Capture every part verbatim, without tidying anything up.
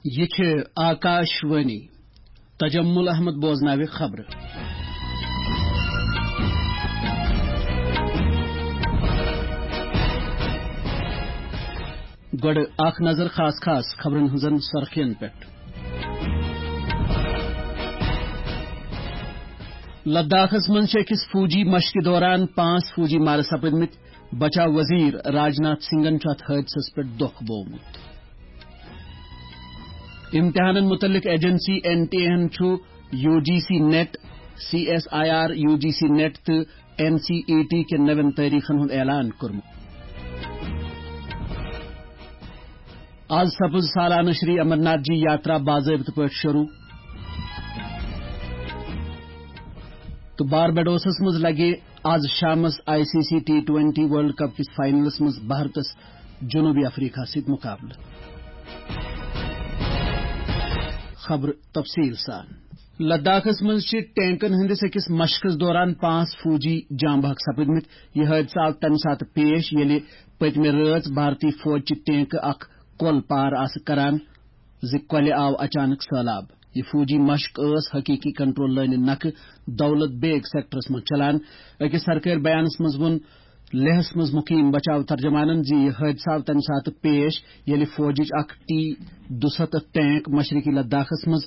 یہِ چھِ آکاش وانی۔ تجمل احمد بوزناوِ خبرٕ۔ گۄڈٕ اکھ نظر خاص خاص خبرن ہٕنٛزن سرخین پٮ۪ٹھ۔ لداخس منٛز چھِ أکِس فوجی مشقہِ دوران پانٛژھ فوجی مارٕ سپٕدمٕتۍ۔ بچاو وزیر راجناتھ سنگھن چھُ اتھ حٲدثس پٮ۪ٹھ دۄکھ بوومُت۔ امتحانن متعلق ایجنسی این ٹی اے ہن چھُ U G C NET, C S I R, U G C NET تہٕ این سی ای ٹی کٮ۪ن نوٮ۪ن تٲریخن ہُنٛد اعلان کوٚرمُت۔ آز سپٕز سالانہٕ شری امرناتھ جی یاترا باضٲبطہٕ پٲٹھۍ شروع۔ تہٕ باربیڈوسس منٛز لگہِ آز شامس I C C T twenty world cup کِس فائنلس منٛز بھارتس جنوبی افریقہ سۭتۍ مقابلہٕ۔ خبر تفصیل سان۔ لداخس منٛز چھِ ٹینکن ہٕنٛدِس أکِس مشقس دوران پانٛژھ فوجی جاں بحق سپٕدمٕتۍ۔ یہِ حٲدثہٕ آو تَمہِ ساتہٕ پیش، ییٚلہِ پٔتمہِ رٲژ بھارتی فوج چہِ ٹینکہٕ اکھ کۄل پار آسہٕ کران زِ کۄلہِ آو اچانک سٔہلاب۔ یہِ فوجی مشق ٲس حقیقی کنٹرول لٲنہِ نکھٕ دولت بیگ سیکٹرس منٛز چلان۔ أکِس سرکٲرۍ بیانس منٛز ووٚن لیہس منٛز مقیم بچاو ترجمانن زِ یہِ حٲدثہٕ آو تَمہِ ساتہٕ پیش، ییٚلہِ فوجٕچ اکھ ٹی دُسَتتھ ٹینک مشرقی لداخس منٛز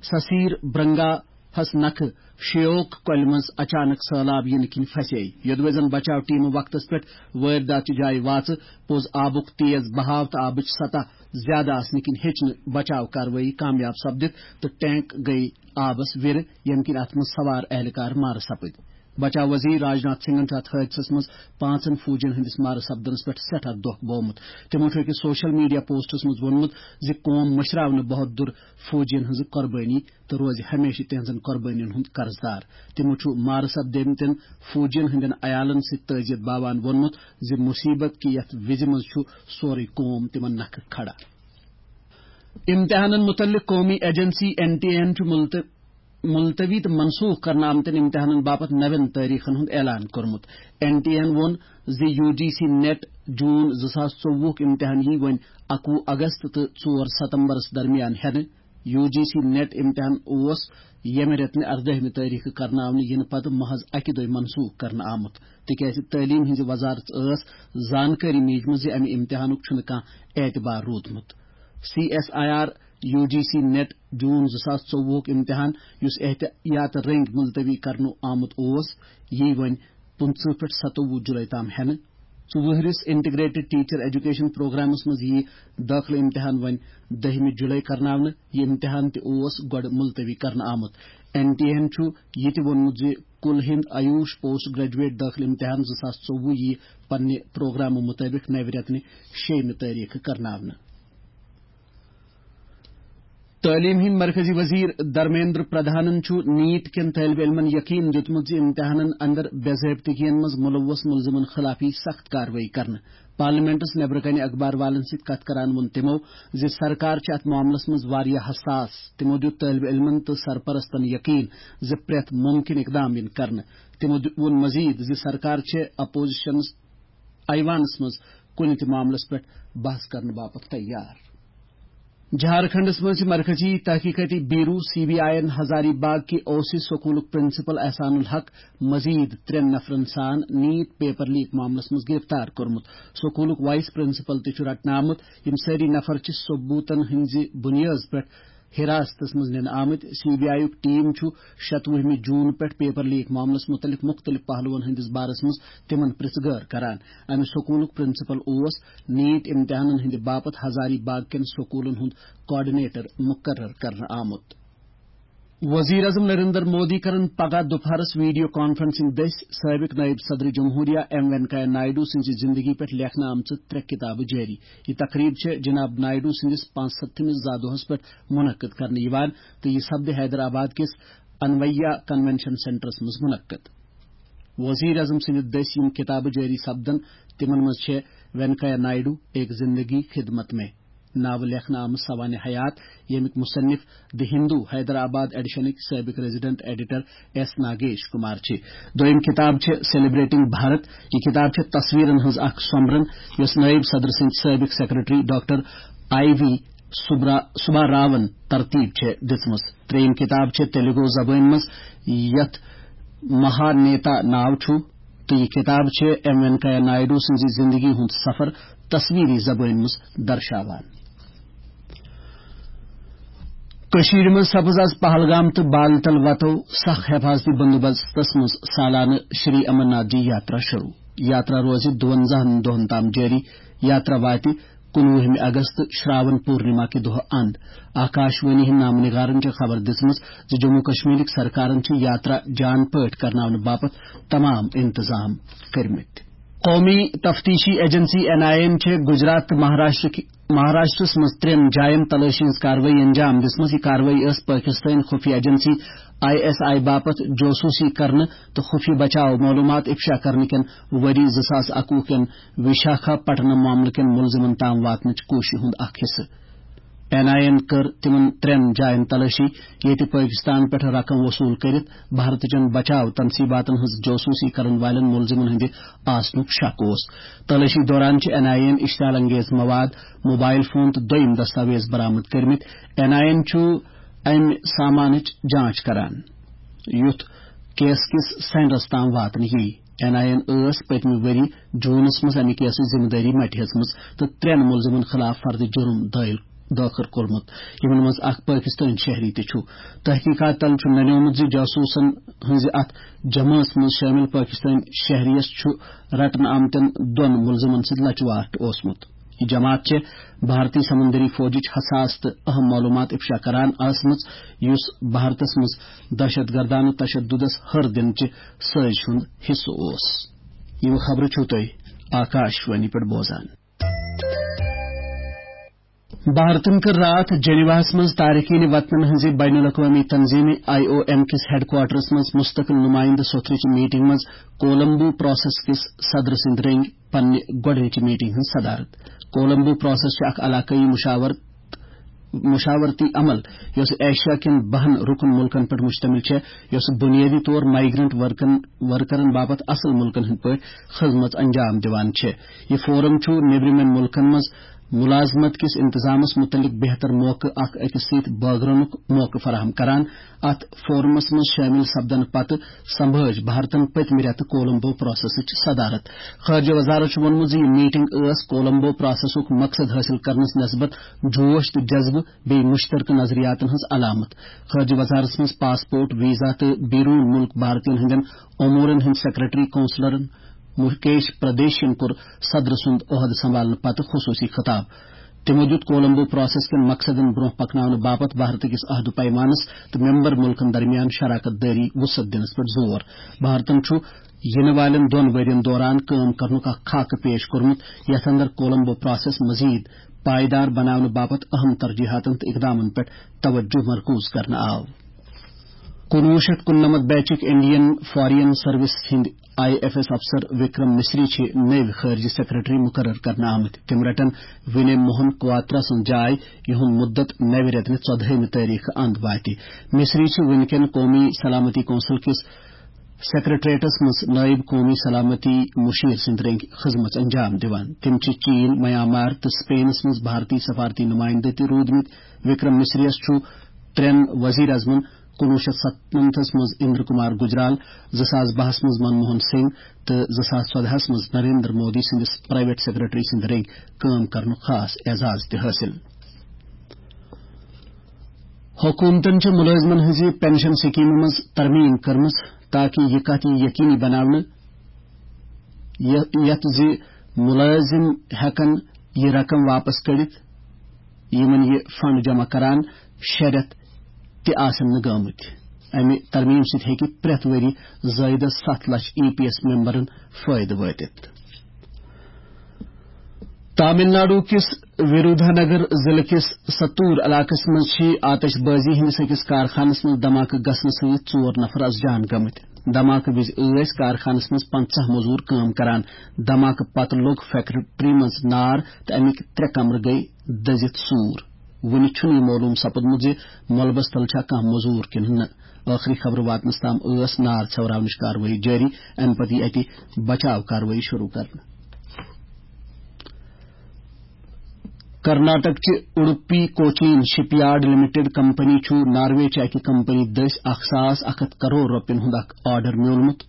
سسیر برنگا ہس نکھٕ شیوک کۄلہِ منٛز اچانک سٔہلاب یِنہٕ کِنۍ پھسے۔ یوٚدوے زن بچاو ٹیمہٕ وقتس پٮ۪ٹھ وٲرۍ داتھ چہِ جایہِ واژٕ، پوٚز آبُک تیز بہاو تہٕ آبٕچ سطح زیادٕ آسنہٕ کِنۍ ہیٚچ نہٕ بچاو کاروٲیی کامیاب سپدِتھ تہٕ ٹینک گٔیہِ آبس وِرٕ، ییٚمہِ کِنۍ اتھ منٛز سوار اہلکار مارٕ سپٕدۍ۔ بچاو وزیر راجناتھ سنگھن چھُ اتھ حٲدثس منٛز پانٛژن فوجین ہٕنٛدِس مارٕ سپدنس پٮ۪ٹھ سٮ۪ٹھاہ دۄکھ بوومُت۔ تِمو چھُ أکِس سوشل میڈیا پوسٹس منٛز ووٚنمُت زِ قوم مٔشراونہٕ بہت دُر فوجین ہٕنٛز قۄربٲنی تہٕ روزِ ہمیشہِ تِہنٛزن قۄربٲنین ہُنٛد قرضدار۔ تِمو چھُ مارٕ سپدیمتٮ۪ن فوجین ہٕنٛدٮ۪ن عیالن سۭتۍ تعزیت باوان ووٚنمُت زِ مصیبت کہِ یتھ وِزِ منٛز چھُ سورُے قوم تِمن نکھٕ کھڑا۔ امتحانن متعلق قومی ایجنسی این ٹی اے ہن چھُ ملت-، ملتوی تہٕ منسوخ کرنہٕ آمتٮ۪ن امتحانن باپتھ نوٮ۪ن تٲریخن ہُنٛد اعلان کوٚرمُت۔ این ٹی اے ہن ووٚن زِ U G C net June زٕ ساس ژوٚوُہُک امتحان یی وۄنۍ اَکوُہ اگست تہٕ ژور ستمبرس درمیان ہٮ۪نہٕ۔ یو جی سی نیٹ امتحان اوس ییٚمہِ رٮ۪تہٕ اردٲہمہِ تٲریخہٕ کرناونہٕ یِنہٕ پتہٕ محض اکہِ دۄہہِ منسوخ کرنہٕ آمُت، تِکیازِ تعلیٖم ہٕنٛزِ وزارت ٲس زانکٲری میجمٕژ زِ امہِ امتحانُک چھُنہٕ کانٛہہ اعتبار روٗدمُت۔ C S I R U G C net June زٕ ساس ژوٚوُہُک امتحان، یُس احتیاط رٔنگۍ ملتوی کرنہٕ آمُت اوس، یی وۄنۍ پٕنٛژٕہ پٮ۪ٹھ ستووُہ جُلے تام ہٮ۪نہٕ۔ ژوٚوُہرِس انٹیگریٹڈ ٹیچر ایجوکیشن پروگرامس منٛز یی دٲخلہٕ امتحان وۄنۍ دٔہمہِ جُلے کرناونہٕ۔ یہِ امتحان تہِ اوس گۄڈٕ ملتوی کرنہٕ آمُت۔ این ٹی اے ہن چھُ یہِ تہِ ووٚنمُت زِ کُل ہند آیوش پوسٹ گریجویٹ دٲخلہٕ امتحان زٕ ساس ژوٚوُہ یی پننہِ پروگرامہٕ مُطٲبِق نوِ رٮ۪تہٕ شیٚیِمہِ تٲریخہٕ کرناونہٕ۔ تعلیٖم ہٕنٛدۍ مرکزی وزیر دھرمیندر پردھانن چھُ نیٹ کٮ۪ن طٲلبہِ علمن یقین دِیُتمُت زِ امتحانن اندر بے ضٲبطگین منٛز ملوث ملزمن خلاف یی سخت کاروٲیی کرنہٕ۔ پارلیمنٹس نیبرٕ کنہِ اخبار والن سۭتۍ کتھ کران ووٚن تِمو زِ سرکار چھِ اتھ معاملس منٛز واریاہ حساس۔ تِمو دیُت طٲلبہِ علمن تہٕ سرپرستن یقین زِ پرٛٮ۪تھ ممکن اقدام یِن کرنہٕ۔ تِمو دیُت، ووٚن مزید زِ سرکار چھِ اپوزیشنس ایوانس منٛز کُنہِ تہِ معاملس پٮ۪ٹھ بحث کرنہٕ باپتھ تیار۔ جھارکھنڈس منٛز چھِ مرکزی تحقیقاتی بیورو، سی بی آئی، یَن ہزاری باغ کہِ اوسہِ سکوٗلُک پرنسپل احسان الحق مزید ترٛٮ۪ن نفرن سان نیٹ پیپر لیک معاملس منٛز گرفتار کوٚرمُت۔ سکوٗلُک وائس پرنسپل تہِ چھُ رٹنہٕ آمُت۔ یِم سٲری نفر چھِ ثبوتن ہٕنٛزِ بُنیٲدس پٮ۪ٹھ حراستس منٛز نِنہٕ آمٕتۍ۔ سی بی آئی یُک ٹیم چھُ شتوُہمہِ جون پٮ۪ٹھ پیپر لیک معاملس مُتعلق مُختٔلِف پہلوَن ہٕنٛدِس بارس منٛز تِمن پرژھ گٲر کران۔ امہِ سکوٗلُک پرنسپل اوس نیٹ امتحانن ہٕنٛدِ باپتھ ہزاری باغ کٮ۪ن سکوٗلن ہُنٛد کوآرڈینیٹر مُقرر کرنہٕ آمُت۔ وزیر اعظم نریندر مودی کرن پگاہ دُپہرس ویڈیو کانفرنسنگ دٔسۍ سٲبق نائب صدر جمہوریہ ایم وینکیا نائیڈو سٕنٛزِ زندگی پٮ۪ٹھ لیکھنہٕ آمژٕ ترٛےٚ کتابہٕ جٲری۔ یہِ تقریب چھےٚ جناب نائیڈو سٕنٛدِس پانٛژستھمِس زا دۄہس پٮ۪ٹھ منعقد کرنہٕ یِوان تہٕ یہِ سپدِ حیدرآباد کِس انویا کنونشن سینٹرس منٛز منعقد۔ وزیر اعظم سٕنٛدِ دٔسۍ یِم کتابہٕ جٲری سپدن، تِمن منٛز چھےٚ وینکیا نائیڈو، ایک زندگی خدمت میں ناوٕ لیکھنہٕ آمٕژ سوانح حیات، ییٚمیُک مصنف دی ہندو حیدرآباد ایڈیشنٕکۍ سٲبق resident editor S Nagesh Kumar چھِ۔ دوٚیِم کتاب چھِ سیلیبریٹنگ بھارت۔ یہِ کتاب چھےٚ تصویرن ہٕنٛز اکھ سۄمبرن، یۄس نائب صدر سٕنٛدۍ سٲبق سیکرٹری ڈاکٹر آئی وی سبرا-، سباراون ترتیب چھےٚ دِژمٕژ۔ ترٛیٚیِم کِتاب چھےٚ تیلگو زبٲنۍ منٛز، یَتھ مہانیتا ناو چھُ، تہٕ یہِ کِتاب چھےٚ ایم وینکیا نائیڈو سٕنٛزِ زِندگی ہُنٛد سفر تصویری زبٲنۍ منٛز درشاوان۔ کٔشیٖرِ منٛز سپٕز آز پہلگام تہٕ بالتل وتو سخ حفاظتی بندوبستس منٛز سالانہٕ شری امرناتھ جی یاترا شروع۔ یاترا روزِ دُوَنزاہن دۄہن تام جٲری۔ یاترا واتہِ کُنوُہمہِ اگست شراون پورنما کہِ دۄہ اند۔ آکاش وانی ہٕنٛدۍ نامہٕ نگارن چھےٚ خبر دِژمٕژ زِ جموں کشمیرٕکۍ سرکارن چھِ یاترا جان پٲٹھۍ کرناونہٕ باپتھ تمام انتظام کٔرمٕتۍ۔ قومی تفتیشی ایجنسی این آئی اے یَن چھےٚ گجرات تہٕ مہاراشٹرٕکۍ، مہاراشٹرس منٛز ترٛٮ۪ن جاین تلٲشی ہٕنٛز کاروٲیی انجام دِژمٕژ۔ یہِ کاروٲیی ٲس پٲکستٲنۍ خفیہ ایجنسی آئی ایس آئی باپتھ جوسوٗسی کرنہٕ تہٕ خفیہ بچاو معلوٗمات افشا کرنہٕ کٮ۪ن ؤری زٕ ساس اَکوُہ کٮ۪ن وشاکھا پٹنم معاملہٕ کٮ۪ن مُلزِمن تام واتنٕچ کوٗششہِ ہُنٛد اکھ حصہٕ۔ این آئی اے یَن کٔر تِمَن ترٛٮ۪ن جایَن تلٲشی، ییٚتہِ پٲکِستان پٮ۪ٹھ رقم وصوٗل کٔرِتھ بھارتٕچَن بچاو تنصیٖباتَن ہٕنٛز جاسوٗسی کرَن والٮ۪ن مُلزِمَن ہٕنٛدِ آسنُک شک اوس۔ تلٲشی دوران چھِ این آئی اے یَن اشتعال انگیز مواد، موبائل فون تہٕ دوٚیِم دستاویز برآمد کٔرمٕتۍ۔ این آئی اے یَن چھُ اَمہِ سامانٕچ جانچ کران، یُتھ کیس کِس سینٹرَس تام واتنہٕ یِیہِ۔ این آئی اے یَن ٲس پٔتمہِ ؤری جوٗنَس منٛز اَمہِ کیسٕچ ذمہٕ دٲری مٹہِ ہیژمٕژ تہٕ ترٛٮ۪ن مُلزِمَن خٕلاف فرد جُرُم دٲیِل، دٲخل کوٚرمُت، یِمَن منٛز اکھ پٲکِستٲنۍ شہری تہِ چھُ۔ تحقیٖقات تل چھُ ننیومُت زِ جاسوٗسَن ہٕنٛزِ اَتھ جمٲژ منٛز شٲمِل پٲکِستٲنۍ شہرِیَس چھُ رٹنہٕ آمتٮ۪ن دۄن مُلزِمَن سۭتۍ لچوارٹ اوسمُت۔ یہِ جماعت چھےٚ بھارتی سمندری فوجٕچ حساس تہٕ اہم معلوٗمات افشا کران ٲسمٕژ، یُس بھارتس منٛز دہشت گردانہٕ تشددس ہر دِنہٕ چہِ سٲزشہِ ہُنٛد حصہٕ اوس۔ یِم خبرٕ چھِو تُہۍ آکاش وانی پٮ۪ٹھ بوزان۔ بھارتن کٔر راتھ جنیواہس منٛز تارکین وطنن ہٕنٛزِ بین الاقوامی تنظیٖمہِ آئی او ایم کِس ہیڈ کوارٹرس منٛز مستقل نمائندٕ سوٚتھرٕچ میٹنگ منٛز کولمبو پروسیس کِس صدر سٕنٛدِ رٔنگۍ پننہِ گۄڈٕنِچہِ میٹنگ ہٕنٛز صدارت۔ کولمبو پروسیس چھِ اکھ علاقٲیی مشاور-، مشاورتی عمل یۄس ایشیا کٮ۪ن بَہَن رُکُن مُلکن پٮ۪ٹھ مشتمل چھےٚ، یۄس بنیٲدی طور مائیگرنٹ ورکن، ورکرن باپتھ اصل مُلکن ہٕنٛدۍ پٲٹھۍ خدمت انجام دِوان چھےٚ۔ یہِ فورم چھُ نیبرِمٮ۪ن مُلکن منٛز ملازمت کِس انتظامس متعلق بہتر موقعہٕ اکھ أکِس سۭتۍ بٲگرنُک موقعہٕ فراہم کران۔ اتھ فورمس منٛز شٲمِل سپدنہٕ پتہٕ سنبھٲج بھارتن پٔتمہِ رٮ۪تہٕ کولمبو پروسیسٕچ صدارت۔ خارجہ وزارت چھُ ووٚنمُت زِ یہِ میٹنگ ٲس کولمبو پروسیسُک مقصد حٲصِل کرنس نسبت جوش تہٕ جذبہٕ بیٚیہِ مُشترکہٕ نظریاتن ہٕنٛز علامت۔ خارجہ وزارتس منٛز پاسپورٹ، ویزا تہٕ بیرون مُلک بھارتین ہٕنٛدٮ۪ن امورن ہٕنٛدۍ سیکرٹری کونسلرن مکیش پردیشن کوٚر صدر سُنٛد عہدٕ سنبھالنہٕ پتہٕ خصوٗصی خطاب۔ تِمو دیُت کولمبو پروسیس کٮ۪ن مقصدن برونٛہہ پکناونہٕ باپتھ بھارت کِس عہد و پیمانس تہٕ ممبر مُلکن درمیان شراکت دٲری وُسعت دِنس پٮ۪ٹھ زور۔ بھارتن چھُ یِنہٕ والٮ۪ن دۄن ؤرین دوران کٲم کرنُک اکھ خاکہٕ پیش کوٚرمُت، یتھ اندر کولمبو پروسیس مزید پائیدار بناونہٕ باپتھ اہم ترجیحاتن تہٕ اقدامن پٮ۪ٹھ توجہ مرکوز کرنہٕ آو۔ کُنوُہ شیٚتھ کُننَمَتھ بیچٕکۍ انڈین فارین سروس ہٕنٛدۍ آئی ایف ایس افسر وکرم مصری چھِ نٔوۍ خارجہ سیکرٹری مقرر کرنہٕ آمٕتۍ۔ تِم رٹن ونے موہن کواترا سٕنٛز جاے، یِہُنٛد مُدت نوِ رٮ۪تہٕ ژۄدہٲیمہِ تٲریخہٕ اند واتہِ۔ مصری چھِ وٕنکٮ۪ن قومی سلامتی کونسل کِس سیکرٹریٹس منٛز نائب قومی سلامتی مشیر سٕنٛدۍ رٔنگۍ خدمت انجام دِوان۔ تِم چھِ چین، میانمار تہٕ سپینس منٛز بھارتی سفارتی نمائندٕ تہِ روٗدمٕتۍ۔ وکرم مصریَس چھُ ترٛٮ۪ن وزیر اعظمن کُنوُہ شیٚتھ ستنمتس منٛز اندر کمار گجرال، زٕ ساس بَہَس منٛز منموہن سنگھ تہٕ زٕ ساس ژۄدہَس منٛز نریندر مودی سٕنٛدِس پرائیویٹ سیکرٹری سٕنٛدِ رٔنگۍ کٲم کرنُک خاص اعزاز تہِ حٲصِل۔ حکوٗمتن چھِ مُلٲزمن ہٕنٛزِ پنشن سکیمہِ منٛز ترمیم کٔرمٕژ تاکہ یہِ کتھ یی یقینی بناونہٕ یہِ-، یتھ زِ مُلٲزم ہٮ۪کن یہِ رقم واپس کٔڑِتھ، یِمن یہِ فنڈ جمع کران شےٚ رٮ۪تھ تہِ آسن نہٕ گٲمٕتۍ۔ امہِ ترمیم سۭتۍ ہیٚکہِ پرٛٮ۪تھ ؤری زٲیدس ستھ لچھ ای پی ایس ممبرن فٲیدٕ وٲتِتھ۔ تامل ناڈو کِس وِرودھا نگر ضلعہٕ کِس ستور علاقس منٛز چھِ آتش بازی ہٕنٛدِس أکِس کارخانس منٛز دھماکہٕ گژھنہٕ سۭتۍ ژور نفر از جان گٔمٕتۍ۔ دھماکہٕ وِزِ ٲسۍ کارخانس منٛز پنٛژاہ مزور کٲم کران۔ دھماکہٕ پتہٕ لوٚگ فیکٹری منٛز نار تہٕ اَمِکۍ ترٛےٚ کمرٕ گٔیہِ دٔزِتھ سوٗر۔ وُنہِ چھُنہٕ یہِ معلوم سپُدمُت زِ ملبس تل چھا کانٛہہ مزور کِنہٕ نہٕ۔ ٲخری خبرٕ واتنس تام ٲس نار ژھٮ۪وراونٕچ کاروٲیی جٲری۔ اَمہِ پتہٕ یِیہِ اَتہِ بچاو کاروٲیی شروع کرنہٕ۔ کرناٹک چہِ اڈپی کوچین شپ یارڈ لمیٹڈ کمپنی چھُ ناروے چہِ اکہِ کمپنی دٔسۍ اکھ ساس اکھ ہتھ کرور رۄپین ہُنٛد اکھ آرڈر میوٗلمُت،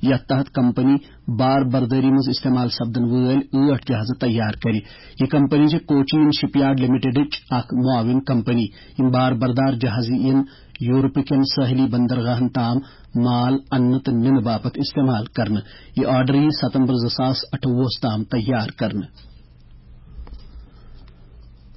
یتھ تحت کمپنی بار بردٲری منٛز استعمال سپدن وٲلۍ ٲٹھ جہازٕ تیار کرِ۔ یہِ کمپنی چھِ کوچین شپ یارڈ لمیٹڈٕچ اکھ معاون کمپنی۔ یِم بار بردار جہازٕ یِن یورپہٕ کٮ۪ن سٲحلی بندرگاہن تام مال اننہٕ تہٕ نِنہٕ باپتھ استعمال کرنہٕ۔ یہِ آرڈر یِیہِ ستمبر زٕ ساس اَٹھووُہس تام تیار کرنہٕ۔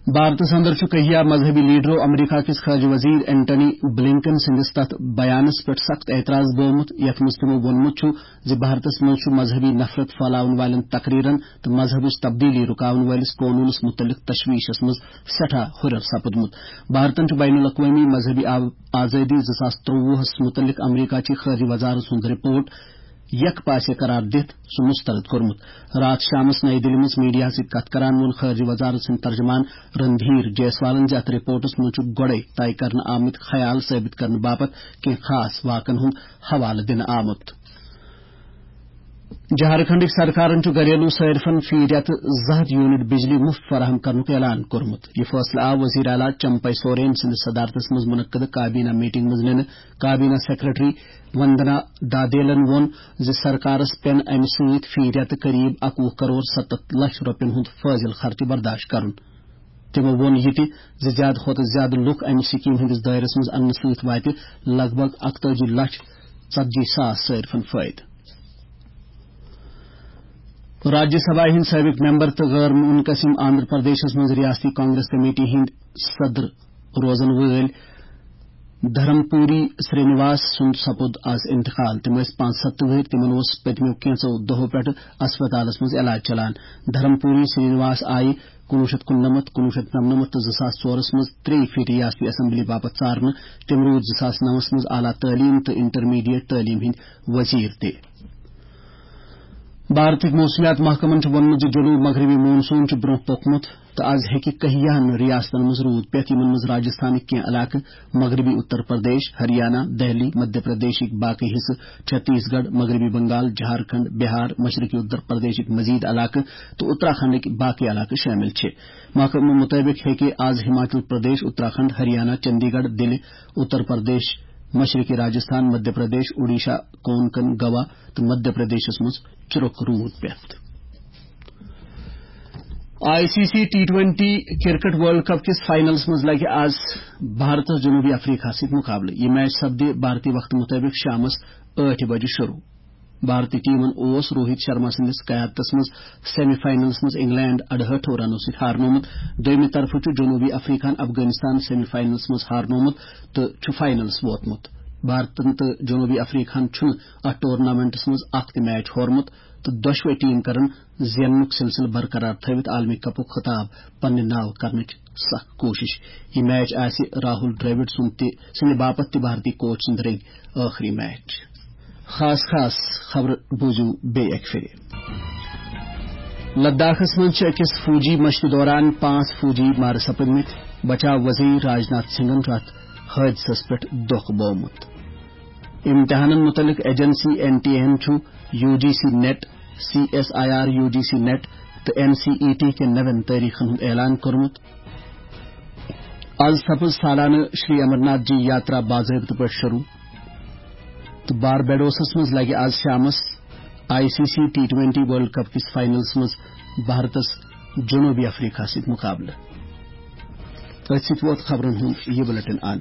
بھارتس اندر چھُ کہیا مذہبی لیڈرو امریکہ کِس خارجہ وزیر اینٹنی بلنکن سٕنٛدِس تتھ بیانس پٮ۪ٹھ سخت اعتراض گوٚومُت، یتھ منٛز تِمو ووٚنمُت چھُ زِ بھارتس منٛز چھُ مذہبی نفرت پھٲلاون والٮ۪ن تقریرن تہٕ مذہبٕچ تبدیلی رُکاون وٲلِس قونوٗنس مُتعلق تشویشس منٛز سٮ۪ٹھاہ ہُرٮ۪ر سپُدمُت۔ بھارتن چھُ بین الاقوٲمی مذہبی آ-، آزٲدی زٕ ساس ترٛۆوُہس مُتعلق امریکہ چہِ خارجہ وزارت سُنٛد رپورٹ یک پاسے قرار دِتھ سُہ مسترد کوٚرمُت۔ راتھ شامس نئی دِلہِ منٛز میڈیاہس سۭتۍ کتھ کران ووٚن خارجہ وزارت سٕنٛدۍ ترجمان رندھیر جیسوالن زِ اتھ رپورٹس منٛز چھُ گۄڈے طے کرنہٕ آمٕتۍ خیال ثٲبت کرنہٕ باپتھ کینٛہہ خاص واقعن ہُنٛد حوالہٕ دِنہٕ آمُت۔ جھارکھنڈٕکۍ سرکارن چھُ گھریلو صارفن فی رٮ۪تہٕ زٕ ہتھ یونٹ بجلی مفت فراہم کرنُک اعلان کوٚرمُت۔ یہِ فٲصلہٕ آو وزیر اعلیٰ چمپئی سورین سٕنٛدِس صدارتس منٛز منعقدٕ کابینہ میٹنگ منٛز نِنہٕ۔ کابینہ سیکرٹری وندنا دادیلن ووٚن زِ سرکارس پٮ۪ن امہِ سۭتۍ فی رٮ۪تہٕ قریب اَکوُہ کرور ستتھ لچھ رۄپین ہُنٛد فٲضل خرچہٕ برداشت کرُن۔ تِمو ووٚن یہِ تہِ زِ زیادٕ کھۄتہٕ زیادٕ لُکھ امہِ سکیٖم ہٕنٛدِس دٲیرس منٛز اننہٕ سۭتۍ واتہِ لگ بھگ اکتٲجی لچھ ژتجی ساس صارفن فٲیدٕ۔ راجیہ سبھا ہٕنٛدۍ سٲبق ممبر تہٕ غٲر منقسم آندھرا پردیشس منٛز ریاستی کانگریس کمیٹی ہٕنٛدۍ صدر روزن وٲلۍ دھرمپوری سرینواس سُنٛد سپُد از انتقال۔ تِم ٲسۍ پانٛژھ ستتھ وُہٕرۍ۔ تِمن اوس پٔتمیو کینٛژو دۄہو پٮ۪ٹھٕ اسپتالس منٛز علاج چلان۔ دھرمپوری سرینواس آیہِ کُنوُہ شیٚتھ کُننَمَتھ، کُنوُہ شیٚتھ نَمنَمَتھ تہٕ زٕ ساس ژورس منٛز ترٛیٚیہِ پھِرِ ریاستی اسمبلی باپتھ ژارنہٕ۔ تِم روٗدۍ زٕ ساس نَوَس منٛز اعلیٰ تعلیٖم تہٕ انٹرمیڈیٹ تعلیٖم ہٕنٛدۍ وزیر تہِ۔ بھارتٕکۍ موسمیات محکمن چھُ ووٚنمُت زِ جنوب مغربی مون سون چھُ برٛونٛہہ پوٚکمُت تہٕ از ہیٚکہِ کہیاہن ریاستن منٛز روٗد پٮ۪تھ، یِمن منٛز راجستھانٕکۍ کینٛہہ علاقہٕ، مغربی اتر پردیش، ہریانہ، دہلی، مدھیہ پردیشٕکۍ باقٕے حصہٕ، چھتیس گڑھ، مغربی بنگال، جھارکھنڈ، بہار، مشرقی اتر پردیشٕکۍ مزید علاقہٕ تہٕ اتراکھنڈٕکۍ باقٕے علاقہٕ شٲمِل چھِ۔ محکمہٕ مُطٲبِق ہیٚکہِ از ہماچل پردیش، اتراکھنڈ، ہریانہ، چندی گڑھ، دِلہِ، اتر پردیش، مشرقی راجستھان، مدھیہ پردیش، اوڈیشہ، کونکن، گوا تہٕ مدھیہ پردیشس منٛز چُرک روٗد پٮ۪تھ۔ I C C T twenty cricket world cup کِس فائنلس منٛز لگہِ آز بھارتس جنوبی افریقہ سۭتۍ مقابلہٕ۔ یہِ میچ سپدِ بھارتی وقتہٕ مُطٲبِق شامس ٲٹھِ بجہِ شروٗع۔ بھارتی ٹیمن اوس روہت شرما سٕنٛدِس قیادتس منٛز سیمی فائنلس منٛز انگلینڈ اَڑہٲٹھو رنو سۭتۍ ہارنومُت۔ دوٚیمہِ طرفہٕ چھُ جنوبی افریقہن افغانستان سیمی فائنلس منٛز ہارنومُت تہٕ چھُ فائنلس ووتمُت۔ بھارتن تہٕ جنوبی افریقہن چھُنہٕ اتھ ٹورنامنٹس منٛز اکھ تہِ میچ ہورمُت تہٕ دۄشوے ٹیم کرن زیننُک سلسلہٕ برقرار تھٲوِتھ عالمی کپُک خطاب پننہِ ناوٕ کرنٕچ سخ کوٗشش۔ یہِ میچ آسہِ راہول ڈریوڈ سُنٛد تہِ، سٕنٛدِ باپتھ تہِ بھارتی کوچ سٕنٛدِ رٔنگۍ ٲخری میچ۔ خاص خاص خبرٕ بوٗزِو بیٚیہِ اَکہِ پھِرِ۔ لداخس منٛز چھِ أکِس فوجی مشقہِ دوران پانٛژھ فوجی مارٕ سپٕدمٕتۍ۔ بچاو وزیر راجناتھ سنگھن چھُ اَتھ حٲدثس پٮ۪ٹھ دۄکھ بوومُت۔ امتحانن متعلق ایجنسی این ٹی اے ہن چھُ U G C NET, C S I R U G C NET تہٕ این سی ای ٹی کٮ۪ن نوٮ۪ن تٲریخن ہُنٛد اعلان کوٚرمُت۔ از سپٕز سالانہٕ شری امرناتھ جی یاترا باضٲبطہٕ پٲٹھۍ شروع تہٕ باربیڈوسس منٛز لگہِ از شامس I C C T twenty world cup کِس فائنلس منٛز بھارتس جنوبی افریقہ سۭتۍ مقابلہٕ۔ أتھۍ سۭتۍ ووت خبرن ہُنٛد یہِ بلیٹن اند۔